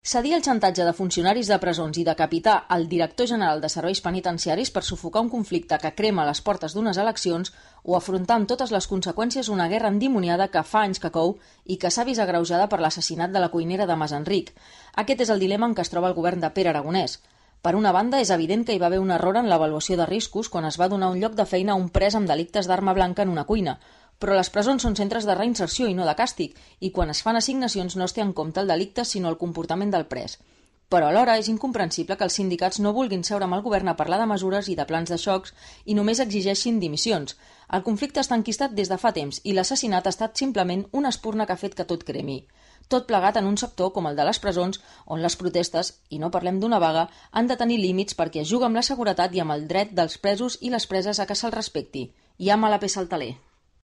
Cedir el xantatge de funcionaris de presons i decapitar el director general de serveis penitenciaris per sufocar un conflicte que crema a les portes d'unes eleccions o afrontar amb totes les conseqüències una guerra endimoniada que fa anys que cou i que s'ha vist agreujada per l'assassinat de la cuinera de Mas Enric. Aquest és el dilema en què es troba el govern de Pere Aragonès. Per una banda, és evident que hi va haver un error en l'avaluació de riscos quan es va donar un lloc de feina a un pres amb delictes d'arma blanca en una cuina, però les presons són centres de reinserció i no de càstig, i quan es fan assignacions no es té en compte el delicte sinó el comportament del pres. Però alhora és incomprensible que els sindicats no vulguin seure amb el govern a parlar de mesures i de plans de xocs i només exigeixin dimissions. El conflicte està enquistat des de fa temps i l'assassinat ha estat simplement una espurna que ha fet que tot cremi. Tot plegat en un sector com el de les presons, on les protestes, i no parlem d'una vaga, han de tenir límits perquè es juga amb la seguretat i amb el dret dels presos i les preses a que se'ls respecti. I ama la peça al taler.